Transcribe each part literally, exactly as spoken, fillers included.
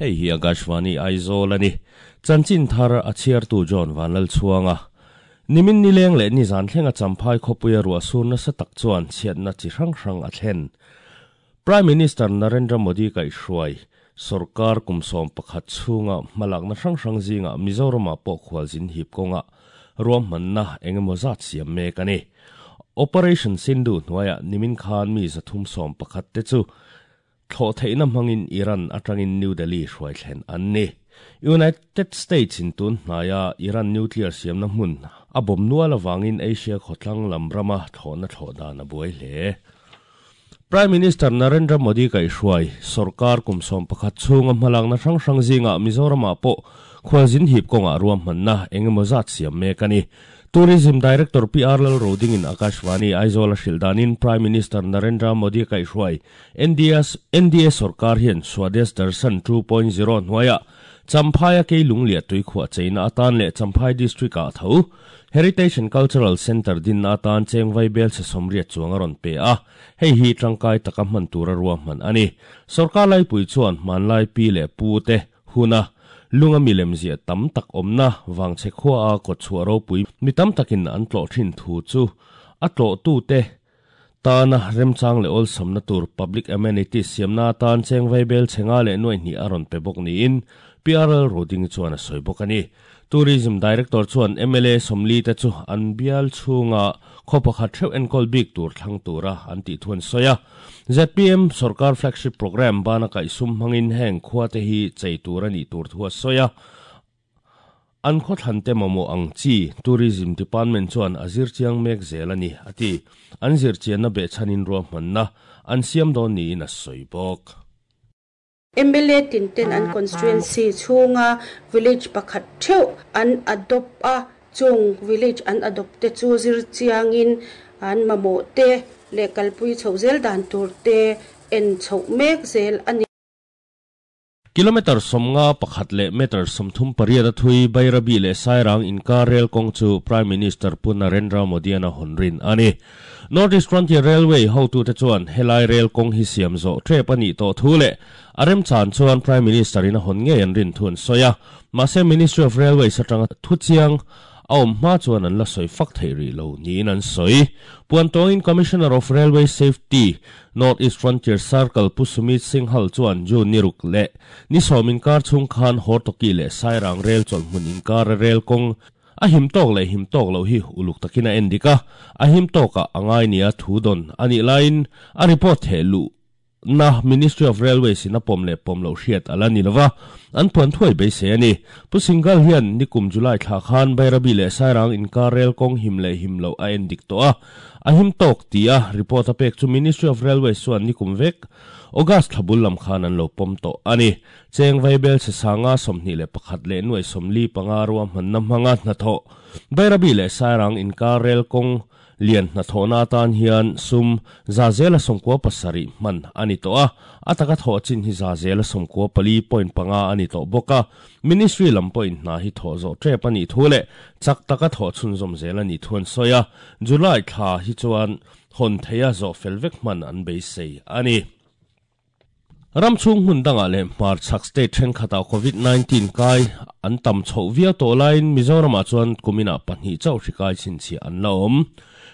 Hei hi Akashvani Aizawl ani. Chanchin thar a chhiartu John Vanlal Chhuanga. Nimin nileng leh nizan thlenga champhai khawpuia ruah sur nasa tak chuan chhiatna chi hrang hrang a thlen. Prime Minister Narendra Modi kaihhruai sarkar kum sawm pakhat chhunga hmalakna hrang hrang zinga Mizoram ah pawh khualzin hip kawnga ruahmanna engemaw zat siam mek ani. Operation Sindoor hnuaiah nimin khan mi zathum sawm pakhat te chu thlawh theihna hmangin Iran atangin New Delhi hruai thlen an ni. United States in tun hnaia Iran nuclear siamna hmun a bawm nual awangin Asia khawtlang lam rama thlawhna thlawh dan a buai hle. Prime Minister Narendra Modi kaihhruai sarkar kum sawm pakhat chhunga hmalakna hrang hrang zinga Mizoram ah pawh khualzin hip kawnga ruahmanna engemaw zat siam mek ani. Tourism Director P R Lal Roding in Akashvani Aizawl a hrilh danin Prime Minister Narendra Modi kaihhruai N D S N D A sarkar hian Swadesh Darshan two point zero hnuaiah Champhaia keilung leh tuikhuah cheina atan leh Champhai District ah tho Heritage and Cultural Center din atan chengvai bel se sawmriat chuang a rawn pe a. Hei hi tangkai taka hman tura ruahman ani. Sarkar laipui chuan hmanlai pi leh pu te huna lunga milem zia tam tak awmna wangchhe khua a kawtchhuah ropui mi tam takin an tlawh thin thu chu a tlawh tu te tana remchang leh awlsamna tur public amenities siamna atan chengvai bel chhenga leh nuai hnih a rawn pe bawk niin P R L Roding chuan a sawi bawk ani. Tourism Director chuan M L A sawmli te chu an bial chhunga khaw pakhat theuh enkawl bik tur thlang tura an tih thuan sawi a. Z P M sarkar flagship program bana kaihsum hmangin heng khua te hi chei tur ani tur thu a sawi a. An khaw thlan te mamawh ang chi Tourism Department chuan a zir chiang mek zel ani ati. An zir chianna behchhanin ruahmanna an siam dawn niin a sawi bawk. M L A tinten an constituency chhunga village pakhat theuh an adopt a chung village an adopt te chu zir chiangin an mamawh te leh kalpui chho zel dan tur te en chho mek zel ani. Kilometer sawmnga pakhat leh meter sawmthum pariat a thui Bairabi leh Sairang inkar rail kawng chu Prime Minister Pu Narendra Modi an a hawn rin ani. North East Frontier Railway hotu te chuan helai rail kawng hi siam zawh tep ani tawh thu leh a remchan chuan Prime Minister in a hawn ngei an rin thu an sawi a. Mahse Ministry of Railways atanga thu chiang a awm hma chuan an la sawi fak thei rih lo niin an sawi. Puantawngin Commissioner of Railway Safety North East Frontier Circle Pu Sumit Singhal chuan June niruk leh ni sawm inkar chhung khan Hortoki leh Sairang rail chawlhmun inkar rail kawng a him tawk leh him tawk lo hi uluk takin a en dik a. A him tawkah a ngai nia thu dawn anih laiin a report theh luh na Ministry of Railways in a pawm leh pawm lo hriat ala ni lova an puan thuai beisei ani. Pu Singhal hian nikum July thla khan Bairabi leh Sairang inkar rail kawng him leh him lo a en dik tawh a. A him tawk ti a report a pek chu Ministry of Railways chuan nikum vek August thlabul lam khan an lo pawm tawh ani. Chengvai bel se sanga sawmhnih leh pakhat leh nuai sawmli panga ruahmanna hmanga hnathawh Bairabi leh Sairang inkar rail kawng lian hnathawhna atan hian sum za zela sawmkua pasarih hman ani tawh a. A taka thawh chin hi za zela sawmkua pali point panga ani tawh bawk a. Ministry lam pawhin hna hi thawh zawh tep ani thu leh chak taka thawh chhunzawm zel ani thu an sawi a. July thla hi chuan hawn theia zawh fel vek hman an beisei ani. Ramchhung hmun dangah leh hmar chhak state thenkhatah COVID nineteen kai an tam chho viau tawh laiin Mizoramah chuan kuminah pahnih chauh hri kai chhinchhiah an la awm.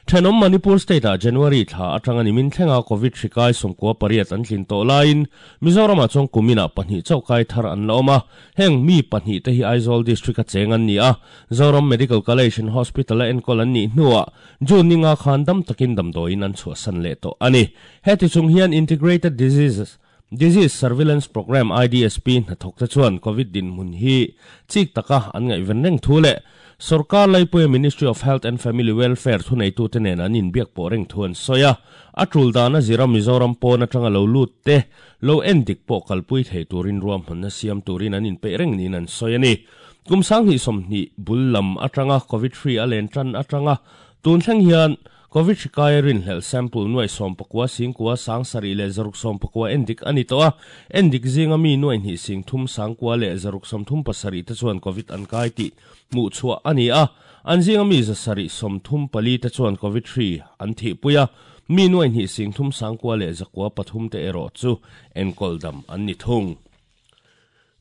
Thenawm Manipur state ah January thla atanga nimin thlenga COVID hri kai sawmkua pariat an tlin tawh laiin Mizoramah chuan kuminah pahnih chauh kai thar an la awm a. Heng mi pahnih te hi Aizawl district a cheng an ni a. Zoram Medical College and Hospital a enkawl an nih hnuah June ninga khan dam takin damdawiin an chhuahsan leh tawh ani. Heti chung hian Integrated Diseases Disease Surveillance Program I D S P hnathawk te chuan COVID din hmun hi chik taka an ngaihven reng thu leh sarkar laipuia Ministry of Health and Family Welfare thuneitu te nen an inbiak pawh reng thu an sawi a. A tul dana zira Mizoram pawn atanga lo lut te lo en dik pawh kalpui thei turin ruahmanna siam turin an inpeih reng niin an sawi ani. Kum sanghnih sawmhnih bul lam atanga COVID three a len tan atanga tun thleng hian COVID hri kai rin hlel sample nuai sawm pakua singkua sang sarih leh zaruk sawm pakua en dik ani tawh a. En dik zinga mi nuai hnih sing thum sangkua leh zaruk sawm thum pasarih te chuan COVID an kai tih hmuh chhuah ani a. An zinga mi za sarih sawm thum pali te chuan COVID three an thih pui a. Mi nuai hnih sing thum sangkua leh zakua pathum te erawh chu enkawl dam an ni thung.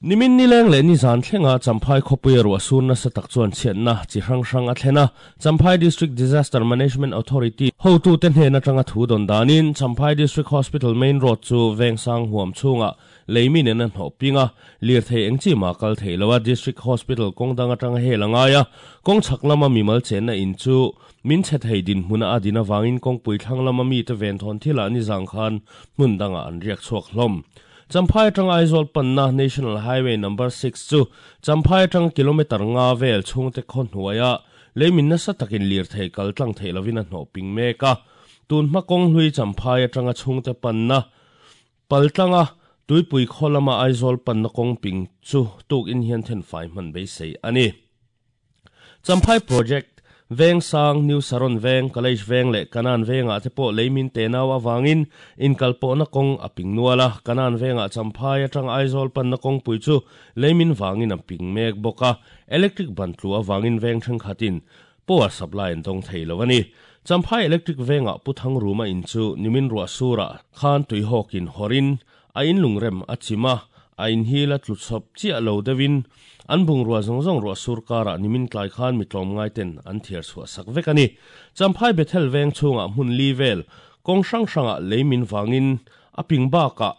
Nimin nileng le ni zan thlenga Champhai khawpui ruah sur nasa tak chuan chhiatna chi hrang hrang a thlena Champhai District Disaster Management Authority hotu te hnen atanga thu dawn danin Champhai District Hospital Main Road chu Vengsang huam chhunga leimin in an hnawh pinga lir thei eng chi ma kal thei lowa District Hospital kawng dang atanga hel angaia kawng chhak lama mimal chenna in chu min chhe thei din hmuna a din awangin kawngpui thlang lama mi te ven thawn thila ni zang khan hmun danga an riak chhuak hlawm. Champhai atang Aizawl panna National Highway number six chu Champhai atang kilometer nga vel chhungte khaw hnuaia leimin nasa takin lir thei kal tlang thei lovin a hnawh ping mek a tun hma kawng hlui Champhai atanga chhungte panna paltlanga tuipui khaw lama Aizawl panna kawng ping chu tuk in hian then fai hman beisei ani. Champhai Project Vengsang New Saron Veng College Veng le Kanan Venga te pawh leimin te nau awangin inkal pawhna kawng a ping nuala Kanan Venga Champhai atang Aizawl panna kawng pui chu leimin wangin a ping mek bawka electric ban tlu awangin veng thenkhatin power supply an dawng thei lo ani. Champhai Electric Venga Puthang ruma in chu nimin ruah sura khan tui hawkin horin a in lungrem a chima a in hila tlu chhawp chiah lo deuhin an bung ruah zawng zawng ruah sur karah nimin tlai khan mi tlawm ngai ten an thiar chhuah sak vek ani. Champhai Bethel Veng chhungah hmun li vel kawng hrang hrangah leimin wangin a ping bakah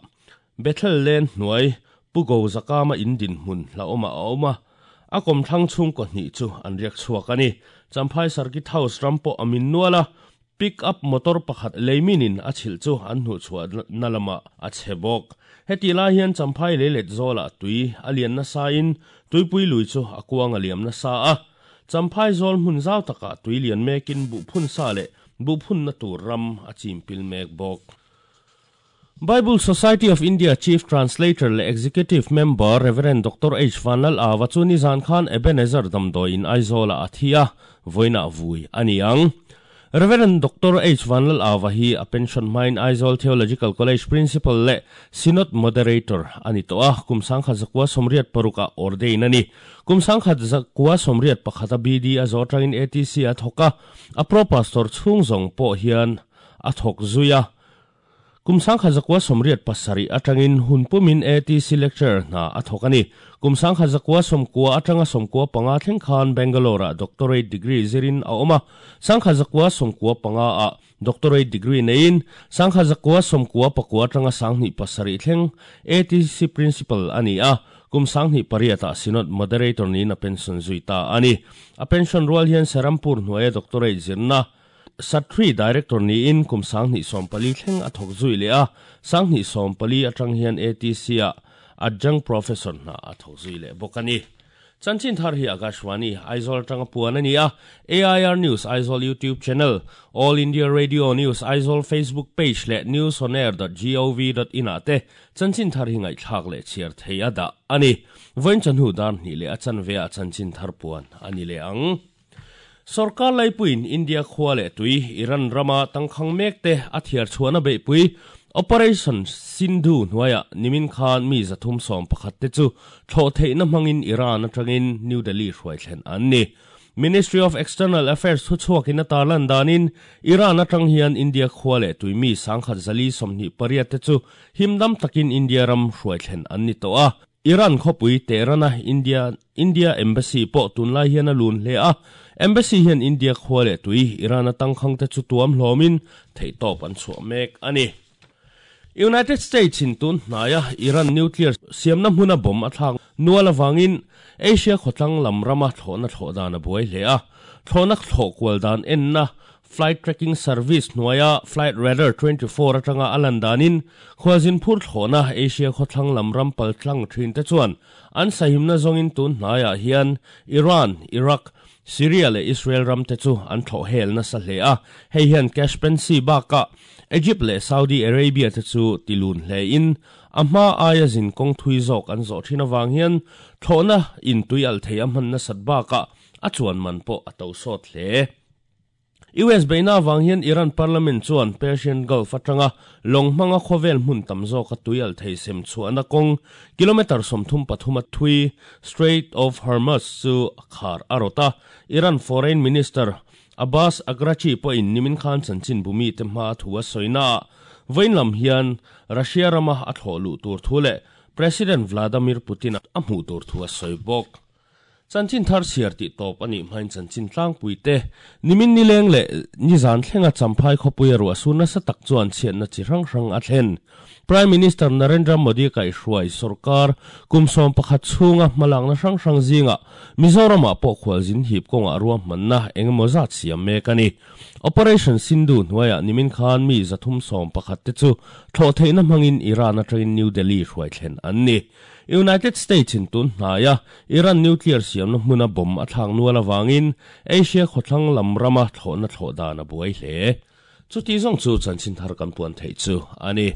Bethel Len hnuai Pugo zakama in din hmun hla awma a awma a kawm thlang chhung kaw hnih chu an riak chhuak ani. Champhai Circuit House ram pawh a min nuala pick up motor pakhat leiminin a chhilh chu an hnuh chhuah na lama a chhe bawk. Heti lai hian Champhai leilet zawlah tui a lian nasa in tuipui lui chu a kuang a liam nasa a Champhai zawl hmun zau takah tui lian mekin buh phun sa leh buh phun na tur ram a chimpil mek bawk. Bible Society of India Chief Translator le Executive Member Reverend Doctor H. Vanlal Awa chu ni zan khan Ebenezer Damdawi in Aizawla a thi a vawiinah vui ani ang. Reverend Doctor H. Vanlal Awa hi a pension mine Aizawl Theological College Principal le Synod Moderator ani to a kum sangkhat zakua somriat paruka ordain ani. Kum sangkhat zakua somriat pakhata B D a zo tangin A T C a thoka a pro pastor chhung zawng pawh hian a thawk zuia. Kum sangkhat zakua somriat pasari atangin hunpumin A T C lecturer hna a thawk ani. Kum sangkhat zakua somkua atanga somkua panga thleng khan Bangalore a doctorate degree zirin a awma sangkhat zakua somkua panga a doctorate degree nein sangkhat zakua somkua pakua atanga sanghnih pasari thleng A T C principal ani a kum sanghnih pariata synod moderator ni na pension zuita ani. A pension rual hian Serampur hnuaia doctorate zirna Satri director ni in kum sanghnih sawmpali thleng a thawk zui le a sanghnih sawmpali atang hian A T C a adjunct professor na a thawk zui le bawk ani. Chanchin thar hi Akashvani Aizawl atanga puan ani a A I R News Aizawl YouTube channel All India Radio News Aizawl Facebook page le news on air dot gov dot in a te chanchin thar hi ngai thlak le chhiar thei a dah ani. Vawiin chanhu dar hnih le a chanve a chanchin thar puan ani le ang. Sarkar laipuin India khua le tui Iran rama tangkhang mek te a thiar chhuana beipui Operation Sindhu hnuaia nimin khan mi zathum sawm pakhat te chu thlawh theihna hmangin Iran atangin New Delhi hruai thlen an ni. Ministry of External Affairs thu chhuakin a tarlan danin Iran atang hian India khua le tui mi sangkhat zali sawmhnih pariat te chu himdam takin India ram hruai thlen an ni tawh a. Iran khawpui Tehrana India India Embassy pawh tunlai hian a lun hle a Embassy hian India khua le tui Iran a tangkhang te chu tuam hlawmin theihtawp an chhuah mek ani. United States in tun hnaia Iran nuclear siamna hmuna bomb a thlak nual awangin Asia khawtlang lam rama thlawhna thlawh dan a buai hle a thlawhna thlawh kual dan enna flight tracking service hnuaia flight radar twenty-four atanga a lan danin khuazin phur thlawhna Asia khawthlang lam ram pal tlang thin te chuan an sahimna zawngin tun hnaiah hian Iran, Iraq, Syria le Israel ram te chu an thlawh hel nasa hle a hei hian Caspian Sea baka Egypt le Saudi Arabia te chu tilun hle in a hma aia zin kawng thui zawk an zawh thin awang hian thlawhna in tui al thei a hman nasat baka a chuan man pawh a to sawt hle. U S beina awang hian Iran Parliament chuan Persian Gulf atanga lawng hmanga khawvel hmun tam zawk a tui al thei sem chhuahna kawng kilometer sawmthum pathum a thui Strait of Hormuz chu khar a rawt a Iran Foreign Minister Abbas Araghchi pawhin nimin khan chanchin bumi te hma thu a sawina vawiin lam hian Russia rama a thlawh luh tur thu leh President Vladimir Putin a hmuh tur thu a sawi bawk. Chanchin thar siar ti tawp ani hmain chanchin tlangpui te nimin ni leng le ni zan thlenga champhai khawpui ru asu nasa tak chuan chhiatna chi hrang hrang a thlen. Prime Minister Narendra Modi kai hruai sarkar kumsom pakhat chhunga hmalakna hrang hrang zinga Mizoram ah pawh khualzin hip kawnga ruah hmanna engemaw zat siam mek ani. Operation Sindhu hnuaiah nimin khan mi zathum sawm pakhat te chu thlawh theihna hmangin Iran atangin New Delhi hruai thlen an ni. United States in tun hnaiah Iran nuclear siamna hmuna bomb a thlak nual awangin Asia khawthlang lam rama thlawhna thlawh dan a buai hle. Chuti zawng chu chanchin thar kan puan theih chu ani.